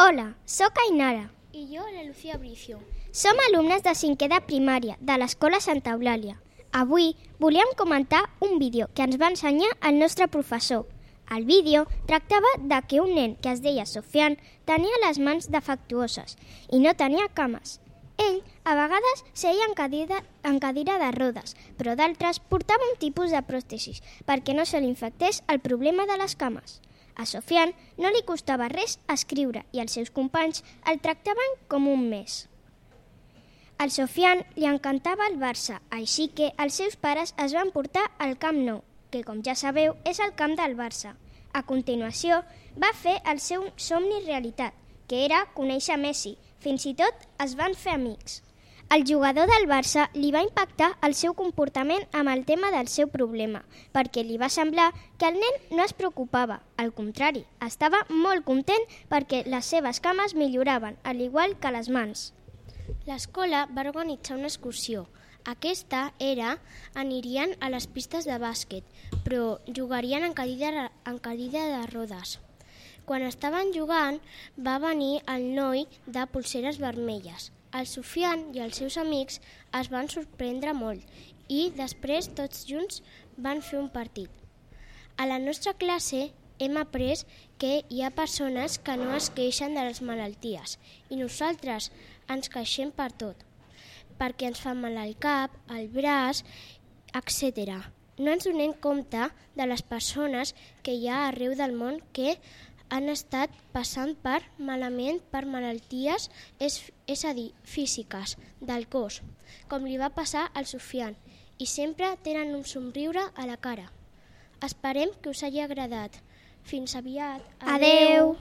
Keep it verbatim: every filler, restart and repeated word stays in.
Hola, sóc Ainara. I jo, la Lucía Bricio. Som alumnes de cinquè de primària de l'Escola Santa Eulàlia. Avui volíem comentar un vídeo que ens va ensenyar el nostre professor. El vídeo tractava de que un nen que es deia Sofian tenia les mans defectuoses i no tenia cames. Ell, a vegades, seia en cadira, en cadira de rodes, però d'altres portava un tipus de pròtesis perquè no se li infectés el problema de les cames. A Sofian no li costava res escriure i els seus companys el tractaven com un mes. Al Sofian li encantava el Barça, així que els seus pares es van portar al Camp Nou, que com ja sabeu és el camp del Barça. A continuació va fer el seu somni realitat, que era conèixer Messi. Fins i tot es van fer amics. El jugador del Barça li va impactar el seu comportament amb el tema del seu problema, perquè li va semblar que el nen no es preocupava. Al contrari, estava molt content perquè les seves cames milloraven, al igual que les mans. L'escola va organitzar una excursió. Aquesta era, anirien a les pistes de bàsquet, però jugarien en cadira, en cadira de rodes. Quan estaven jugant, va venir el noi de polseres vermelles. El Sofian i els seus amics es van sorprendre molt i després tots junts van fer un partit. A la nostra classe hem après que hi ha persones que no es queixen de les malalties i nosaltres ens queixem per tot, perquè ens fa mal al cap, al braç, etcètera. No ens donem compte de les persones que hi ha arreu del món que han estat passant per malament per malalties, és, és a dir, físiques, del cos, com li va passar al Sofian, i sempre tenen un somriure a la cara. Esperem que us hagi agradat. Fins aviat. Adeu!